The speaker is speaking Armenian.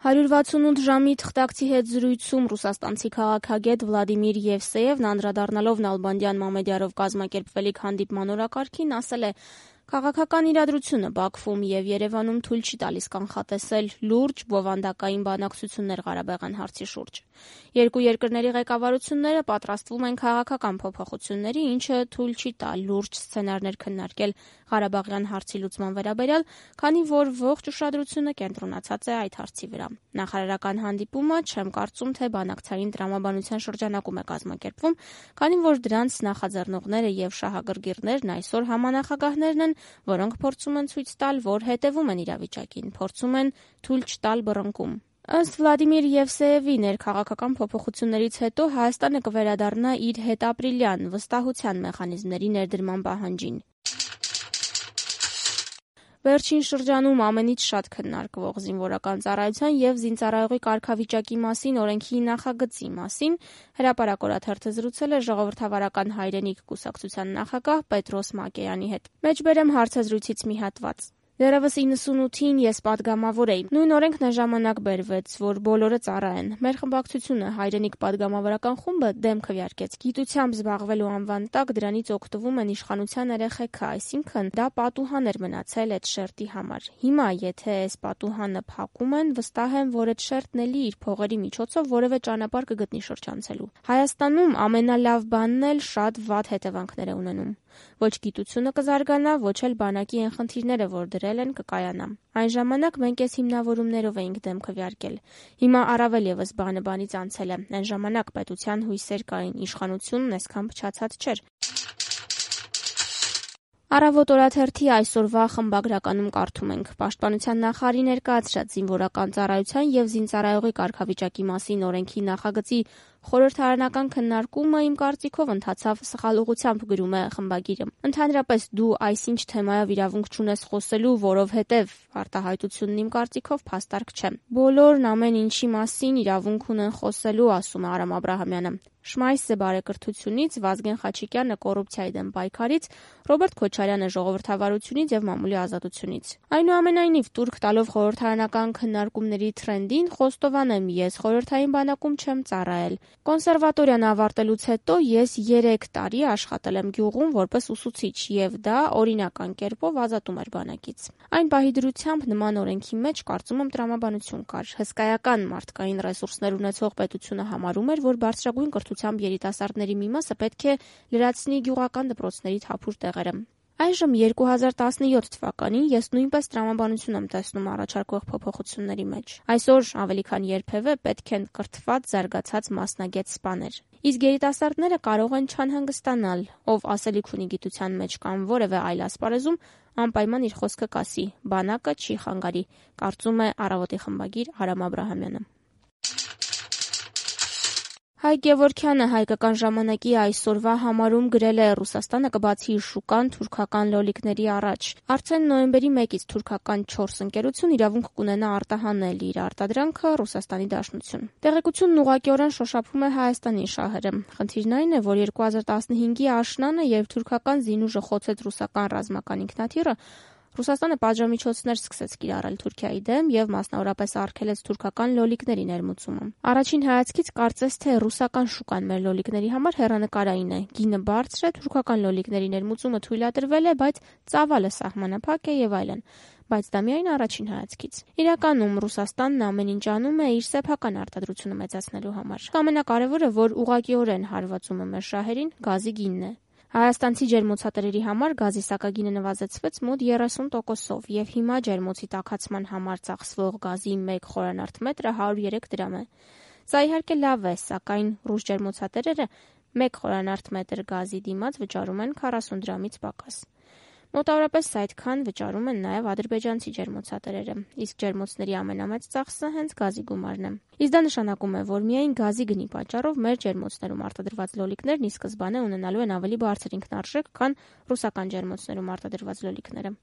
168 ժամի թղթակցի հետ զրույցում ռուսաստանցի քաղաքագետ Վլադիմիր Եվսեևն անդրադառնալով Նալբանդյան Մամեդյարով կազմակերպվելիք հանդիպման օրակարգին ասել է. «Քաղաքական իրադրությունը Բաքվում եւ Երևանում թույլ չի տալիս կանխատեսել լուրջ բովանդակային բանակցություններ Ղարաբաղյան հարցի շուրջ։ Երկու երկրների ղեկավարությունները պատրաստվում են քաղաքական փոփոխությունների, ինչը թույլ չի տա լուրջ սցենարներ քննարկել Ղարաբաղյան հարցի լուծման վերաբերյալ, քանի որ ողջ ուշադրությունը կենտրոնացած է այդ հարցի վրա։ Նախարարական հանդիպումը չեմ կարծում, թե բանակցային տրամաբանության շրջանակում է կազմակերպվում, քանի որ դրանց նախաձեռնողները եւ շահագրգիռներն այսօր համանախագահներն են, որոնք փորձում են ցույց տալ, որ հետևում են իրավիճակին, փորձում են թույլ չտալ բռնկում»։ Ըստ Վլադիմիր Եվսեևի, ներքաղաքական փոփոխություններից հետո Հայաստանը կվերադառնա իր հետապրիլյան վստահության մեխանիզմների ներդրման պահանջին։ Վերջին շրջանում ամենից շատ քննարկվող զինվորական ծառայության եւ զինծառայողի կարգավիճակի մասին օրենքի նախագծի մասին Հրապարակ օրաթերթը զրուցել է Ժողովրդավարական հայրենիք կուսակցության նախագահ Պետրոս Մակեյանի հետ։ Մեջբերեմ հարցազրույցից մի հատված։ Դեռևս 98-ին ես падգամավոր էի։ Նույն օրենքն այն ժամանակ բերվեց, որ բոլորը ծառայեն։ Մեր խմբակցությունը հայրենիք падգամավորական խումբը դեմ քվեարկեց։ Գիտությամբ զբաղվելու անվան տակ դրանից օգտվում են իշխանության երեխեքը, այսինքն դա պատուհան էր մնացել այդ շերտի համար։ Հիմա, եթե այս պատուհանը փակում են, վստահ եմ, որ այդ շերտն էլի իր փողերի միջոցով որևէ ճանապարհ կգտնի շրջանցելու։ Հայաստանում ամենալավ բանն էլ շատ վատ հետևանքներ է ունենում։ Ոչ գիտությունը կզարգանա, ոչ էլ բանակի այն խնդիրները, որ դրել են, կկայանա։ Այն ժամանակ մենք այս հիմնավորումներով էինք դեմ քվեարկել։ Հիմա առավել եւս բանը բանից անցել է։ Այն ժամանակ պետության հույսեր կային, իշխանությունն այսքան փչացած չէր։ Առավոտ օրաթերթի այսօրվա խմբագրականում կարդում ենք. Պաշտպանության նախարարի ներկայացրած զինվորական ծառայության եւ զինծառայողի կարգավիճակի մասին օրենքի նախագծի խորհրդարանական քննարկումը իմ կարծիքով ընթացավ սխալ ուղղությամբ, գրում է խմբագիրը։ Ընդհանրապես դու այսինչ թեմայով իրավունք չունես խոսելու, որովհետև արտահայտությունն իմ կարծիքով փաստարկ չէ։ Բոլորն ամեն ինչի մասին իրավունք ունեն խոսելու, ասում է Արամ Աբրահամյանը։ Շմայսը բարեկրթությունից, Վազգեն Խաչիկյանը կոռուպցիայի դեմ պայքարից, Ռոբերտ Քոչարյանը ժողովրդավարությունից եւ մամուլի ազատությունից։ Այնուամենայնիվ, տուրք տալով խորհրդարանական քննարկումների թրենդին, խոստովանեմ, ես խորհրդային բանակում չեմ ծառայել։ Կոնսերվատորիան ավարտելուց հետո ես 3 տարի աշխատել եմ գյուղում որպես ուսուցիչ եւ դա օրինական կերպով ազատում էր բանակից։ Այն պահի դրությամբ նման օրենքի մեջ կարծում եմ տրամաբանություն կար։ Հսկայական մարդկային ռեսուրսներ ունեցող պետությունը համարում էր, որ բարձրագույն կրթությամբ երիտասարդների մի մասը պետք է լրացնի գյուղական դպրոցների թափուր տեղերը։ Այժմ 2017 թվականին ես նույնպես տրամաբանություն եմ տեսնում առաջարկվող փոփոխությունների մեջ։ Այսօր ավելի քան երբևէ պետք են կրթված, զարգացած մասնագետ սպաներ։ Իսկ երիտասարդները կարող են չանհանգստանալ, ով ասելիք ունի գիտության մեջ կամ որևէ այլ ասպարեզում, անպայման իր խոսքը կասի, բանակը չի խանգարի, կարծում է Առավոտի խմբագիր Արամ Աբրահամյանը։ Հայկ Գևորգյանը հայկական ժամանակի այսօրվա համարում գրել է. Ռուսաստանը կբացի իր շուկան թուրքական լոլիկների առաջ։ Արդեն նոյեմբերի 1-ից թուրքական 4 ընկերություն իրավունք կունենա արտահանել իր արտադրանքը Ռուսաստանի Դաշնություն։ Տեղեկությունն ուղղակիորեն շոշափում է Հայաստանի շահերը։ Խնդիրն այն է, որ 2015-ի աշնանը, երբ թուրքական զինուժը խոցեց ռուսական ռազմական ինքնաթիռը, Ռուսաստանը պատժամիջոցներ սկսեց կիրառել Թուրքիայի դեմ եւ մասնավորապես արգելեց թուրքական լոլիկների ներմուծումը։ Առաջին հայացքից կարծես թե ռուսական շուկան մեր լոլիկների համար հեռանկարային է։ Գինը բարձր է, թուրքական լոլիկների ներմուծումը թույլատրվել է, բայց ծավալը սահմանափակ է եւ այլն։ Բայց դա միայն առաջին հայացքից։ Իրականում Ռուսաստանն ամեն ինչ անում է իր սեփական արտադրությունը մեծացնելու համար։ Ամենակարևորը, որ ուղղակիորեն հարվածում է մեր շահերին, գազի գինն է։ Հայաստանցի ջերմոցատերերի համար գազի սակագինը նվազեցվեց մոտ 30%-ով եւ հիմա ջերմոցի տաքացման համար ծախսվող գազի 1 խորանարդ մետրը 103 դրամ է։ Սա իհարկե լավ է, սակայն ռուս ջերմոցատերերը 1 խորանարդ մետր գազի դիմաց վճարում են 40 դրամից պակաս։ Մոտավորապես այդքան վճարում են նաև ադրբեջանցի ջերմոցատերերը, իսկ ջերմոցների ամենամեծ ծախսը հենց գազի գումարն է։ Իսկ դա նշանակում է, որ միայն գազի գնի պատճառով մեր ջերմոցներում արտադրված լոլիկներն ի սկզբանե ունենալու են ավելի բարձր ինքնարժեք, քան ռուսական ջերմոցներում արտադրված լոլիկները։